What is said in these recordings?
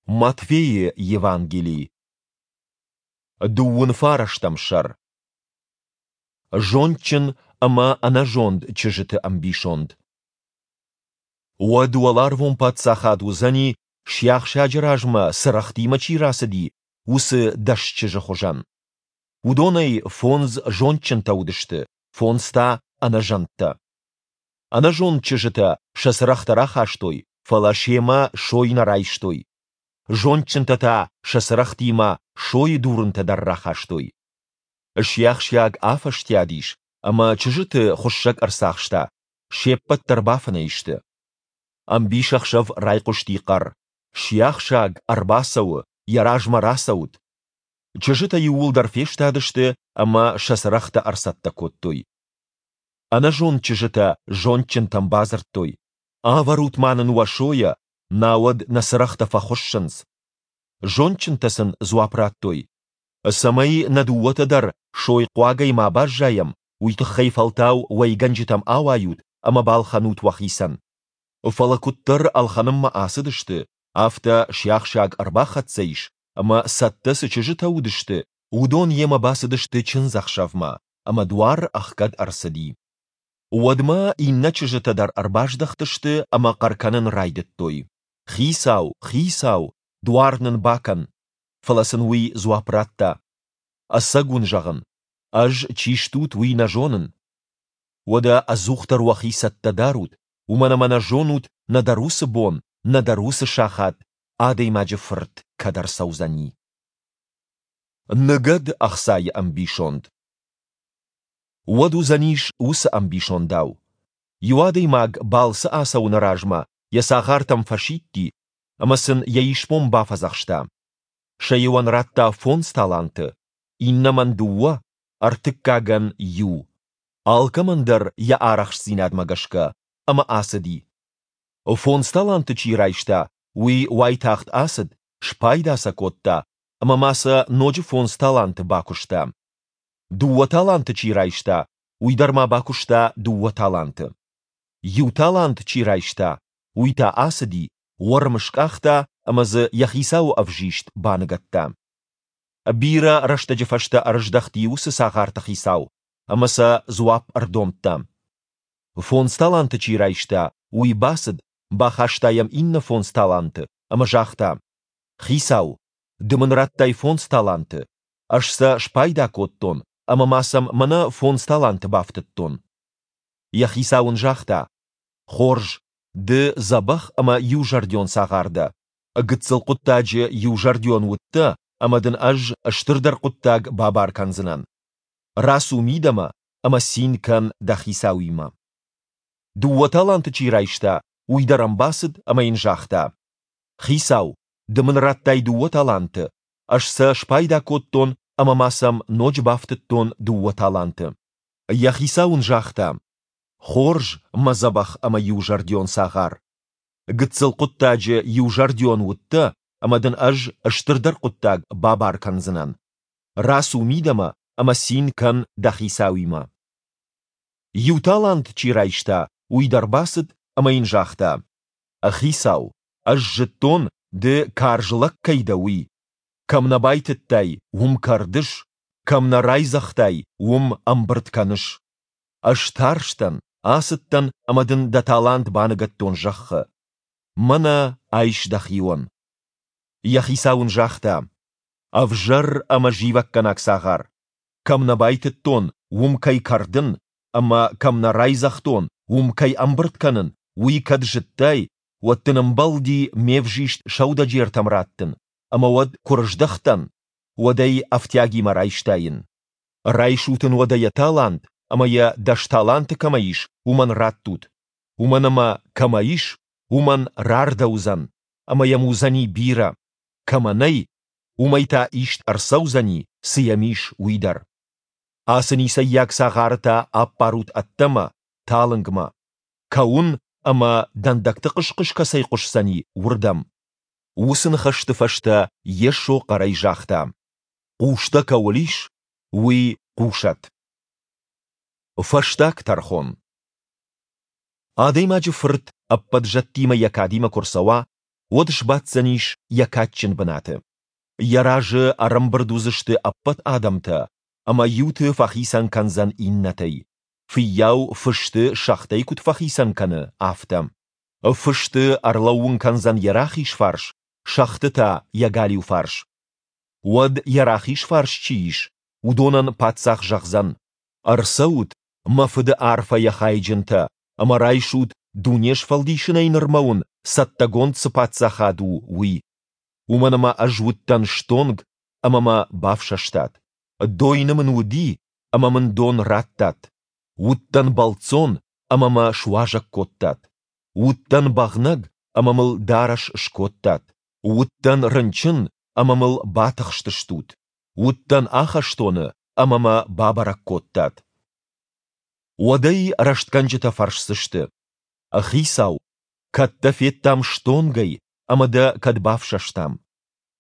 Матфейы Евангели, дыууын фарӕстӕм сӕр. Зондджын ӕмӕ ӕнӕзонд чызджыты ӕмбисонд. Уӕд уӕларвон паддзахад уыдзӕни, сиахсаджы размӕ цырӕгътимӕ чи рацыди, уыцы дӕс чызджы хуызӕн. Уыдонӕй фондз зондджынтӕ уыдысты, фондз та ӕнӕзӕндтӕ. Ӕнӕзонд чызджытӕ сӕ цырӕгътӕ рахастой, фӕлӕ семӕ сой нӕ райстой. Зондджынтӕ та сӕ цырӕгътимӕ сойы дурынтӕ дӕр рахастой. Сиахсиаг афӕстиат ис, ӕмӕ чызджыты хуыссӕг ӕрцахста, се ппӕт дӕр бафынӕй сты. Ӕмбисӕхсӕв райхъуысти хъӕр: «Сиахсаг ӕрбацӕуы, йӕ размӕ рацӕут!» Чызджытӕ иууылдӕр фестадысты ӕмӕ сӕ цырӕгътӕ ӕрцӕттӕ кодтой. Ӕнӕзонд чызджытӕ зондджынтӕм бадзырдтой: «Авӕрут ма нын уӕ сойӕ, науӕд нӕ цырӕгътӕ фӕхуыссынц». Зондджынтӕ сын дзуапп радтой: «Цӕмӕй нӕ дыууӕтӕ дӕр сойхъуагӕй ма баззайӕм, уый тыххӕй фӕлтау уӕйгӕнджытӕм ауайут ӕмӕ балхӕнут уӕхицӕн». Фӕлӕ куыддӕр ӕлхӕнынмӕ ацыдысты, афтӕ сиахсаг ӕрбахӕццӕ ис, ӕмӕ цӕттӕ цы чызджытӕ уыдысты, уыдон йемӕ бацыдысты чындзӕхсӕвмӕ, ӕмӕ дуар ӕхгӕд ӕрцыди. Уӕдмӕ иннӕ чызджытӕ дӕр ӕрбаздӕхтысты ӕмӕ хъӕр кӕнын райдыдтой: «Хицау, хицау, дуар нын бакӕн!» Фӕлӕ сын уый дзуапп радта: «Ӕцӕг уын зӕгъын, ӕз, чи стут, уый нӕ зонын. Уӕдӕ ӕдзухдӕр уӕхи цӕттӕ дарут, уымӕн ӕмӕ нӕ зонут нӕдӕр уыцы бон, нӕдӕр уыцы сахат Адӕймаджы Фырт кӕд ӕрцӕудзӕни. Ныгӕд ӕхцайы ӕмбисонд. Уӕд уыдзӕнис уыцы ӕмбисондау. Иу адӕймаг балцы ацӕуыны размӕ йӕ цагъартӕм фӕсидти ӕмӕ сын йӕ исбон бафӕдзӕхста. Сӕ иуӕн радта фондз таланты, иннӕмӕн дыууӕ, ӕртыккагӕн иу. Алкӕмӕн дӕр йӕ арӕхстдзинадмӕ гӕсгӕ, ӕмӕ ацыди. Фондз таланты чи райста, уый уайтагъд ацыд, спайда сӕ кодта ӕмӕ ма сӕ ноджы фондз таланты бакуыста. Дыууӕ таланты чи райста, уый дӕр ма бакуыста дыууӕ таланты. Иу талант чи райста, уый та ацыди, уӕрм скъахта ӕмӕ дзы йӕ хицауы ӕвзист баныгӕдта. Бирӕ рӕстӕджы фӕстӕ ӕрыздӕхти уыцы цагъарты хицау ӕмӕ сӕ дзуапп ӕрдомдта. Фондз таланты чи райста, уый бацыд, бахаста йӕм иннӕ фондз таланты ӕмӕ загъта: «Хицау, ды мын радтай фондз таланты, ӕз сӕ спайда кодтон ӕмӕ ма сӕм мӕнӕ фондз таланты бафтыдтон». Йӕ хицау ын загъта: «Хорз, ды дзӕбӕх ӕмӕ иузӕрдион цагъар дӕ. Гыццыл хъуыддаджы иузӕрдион уыдтӕ, ӕмӕ дын ӕз стырдӕр хъуыддаг бабар кӕндзынӕн. Рацу мидӕмӕ ӕмӕ цин кӕн дӕ хицауимӕ». Дыууӕ таланты чи райста, уый дӕр ӕм бацыд ӕмӕ йын загъта: «Хицау, ды мын радтай дыууӕ таланты, ӕз сӕ спайда кодтон ӕмӕ ма сӕм ноджы бафтыдтон дыууӕ таланты». Йӕ хицау ын загъта: «Хорз, мӕ дзӕбӕх ӕмӕ иузӕрдион цагъар. Гыццыл хъуыддаджы иузӕрдион уыдтӕ, ӕмӕ дын ӕз стырдӕр хъуыддаг бабар кӕндзынӕн. Рацу мидӕмӕ ӕмӕ цин кӕн дӕ хицауимӕ». Иу талант чи райста, уый дӕр бацыд ӕмӕ йын загъта: «Хицау, ӕз зыдтон, ды карз лӕг кӕй дӕ, уый. Кӕм нӕ байтыдтай, уым кӕрдыс, кӕм нӕ райдзӕгътай, уым ӕмбырд кӕныс. Ӕз тарстӕн, ацыдтӕн ӕмӕ дын дӕ талант баныгӕдтон зӕххы. Мӕнӕ айс дӕхион». Йӕ хицау ын загъта: «Ӕвзӕр ӕмӕ зивӕггӕнаг цагъар! Кӕм нӕ байтыдтон, уым кӕй кӕрдын, ӕмӕ кӕм нӕ райдзӕгътон, уым кӕй ӕмбырд кӕнын, уый кӕд зыдтай, уӕд дын ӕмбӕлди ме взист сӕудӕджертӕм раттын, ӕмӕ уӕд куы рыздӕхтӕн, уӕд ӕй ӕфтиагимӕ райстаин. Райсут ын уӕдӕ йӕ талант ӕмӕ йӕ дӕс таланты кӕмӕ ис, уымӕн раттут, уымӕн ӕмӕ кӕмӕ ис, уымӕн рардӕуыдзӕн, ӕмӕ йӕм уыдзӕни бирӕ, кӕмӕ нӕй, уымӕй та ист ӕрцӕудзӕни, цы йӕм ис, уый дӕр. Ацы ницӕййаг цагъары та аппарут ӕддӕмӕ, талынгмӕ. Кӕуын ӕмӕ дӕндӕгты хъыс-хъыс кӕцӕй хъуысдзӕни, уырдӕм. Уыцы ныхӕсты фӕстӕ Йесо хъӕрӕй загъта: Хъустӕ кӕуыл ис, уый хъусӕд. Фӕстаг тӕрхон. Адӕймаджы Фырт ӕппӕт зӕдтимӕ йӕ кадимӕ куы рцӕуа, уӕд сбаддзӕнис йӕ кадджын бынаты. Йӕ разы ӕрӕмбырд уыдзысты ӕппӕт адӕмтӕ, ӕмӕ иуты фӕхицӕн кӕндзӕн иннӕтӕй, фыййау фысты сӕгътӕй куыд фӕхицӕн кӕны, афтӕ. Фысты ӕрлӕууын кӕндзӕн йӕ рахиз фарс, сӕгъты та йӕ галиу фарс. Уӕд йӕ рахиз фарс чи ис, уыдонӕн паддзах зӕгъдзӕн, Ӕрцӕут, мӕ фыды арфӕйӕ хайджынтӕ, ӕмӕ райсут, дуне сфӕлдисынӕй нырмӕ уын цӕттӕгонд цы паддзахад у, уый. Уымӕн ӕмӕ ӕз уыдтӕн стонг, ӕмӕ мӕ бафсӕстат. Дойны мын уыди, ӕмӕ мын дон радтат. Уыдтӕн бӕлццон, ӕмӕ мӕ суазӕг кодтат. Уыдтӕн бӕгънӕг, ӕмӕ мыл дарӕс скодтат. Уыдтӕн рынчын, ӕмӕ мыл батыхстыстут. Уыдтӕн ахӕстоны, ӕмӕ мӕ бабӕрӕг кодтат. Уӕд ӕй рӕстгӕнджытӕ фӕрсдзысты: Хицау, кӕд дӕ федтам стонгӕй ӕмӕ дӕ кӕд бафсӕстам?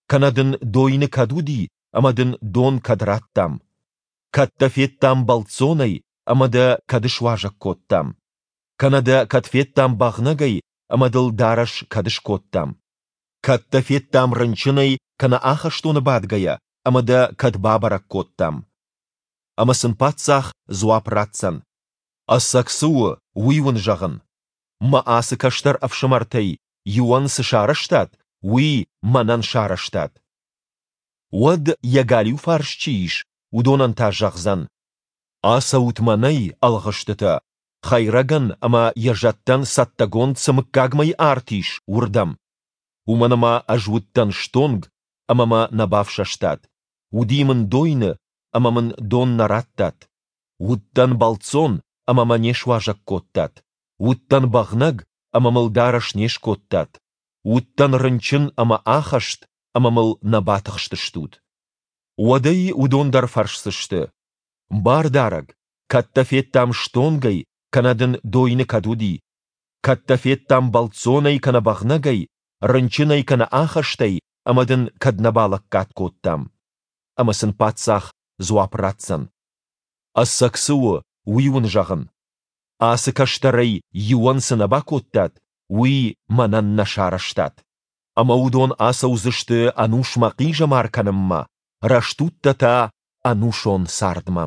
Кӕнӕ дын дойны кӕд уыди ӕмӕ дын дон кӕд радтам? Кӕд дӕ федтам бӕлццонӕй ӕмӕ дӕ кӕд суазӕг кодтам? Кӕнӕ дӕ кӕд федтам бӕгънӕгӕй ӕмӕ дыл дарӕс кӕд скодтам? Кӕд дӕ федтам рынчынӕй кӕнӕ ахӕстоны бадгӕйӕ ӕмӕ дӕ кӕд бабӕрӕг кодтам? Ӕмӕ сын паддзах дзуапп ратдзӕн, Ӕцӕг цы у, уый уын зӕгъын. Мӕ ацы кӕстӕр ӕфсымӕртӕй иуӕн цы сарӕзтат, уый мӕнӕн сарӕзтат. Уӕд йӕ галиу фарс чи ис, уыдонӕн та зӕгъдзӕн, Ацӕут мӕнӕй, ӕлгъыстытӕ, хӕйрӕгӕн ӕмӕ йӕ зӕдтӕн цӕттӕгонд цы мыггагмӕйы арт ис, уырдӕм. Уымӕн ӕмӕ ӕз уыдтӕн стонг, ӕмӕ мӕ нӕ бафсӕстат, уыди мын дойны, ӕмӕ мын дон нӕ радтат, уыдтӕн бӕлццон, ӕмӕ мӕ не суазӕг кодтат, уыдтӕн бӕгънӕг, ӕмӕ мыл дарӕс не скодтат, уыдтӕн рынчын ӕмӕ ахӕст, ӕмӕ мыл нӕ батыхстыстут. Уӕд ӕй уыдон дӕр фӕрсдзысты, Бардарӕг, кӕд дӕ федтам стонгӕй, кӕнӕ дын дойны кӕд уыди? Кӕд дӕ федтам бӕлццонӕй кӕнӕ бӕгънӕгӕй, рынчынӕй кӕнӕ ахӕстӕй ӕмӕ дын кӕд нӕ балӕггад кодтам? Ӕмӕ сын паддзах дзуапп ратдзӕн, Ӕцӕг цы у, уый уын зӕгъын. Ацы кӕстӕрӕй иуӕн цы нӕ бакодтат, уый мӕнӕн нӕ сарӕзтат. Ӕмӕ уыдон ацӕудзысты ӕнусмӕ хъизӕмар кӕнынмӕ, рӕстудтӕ та ӕнусон цардмӕ.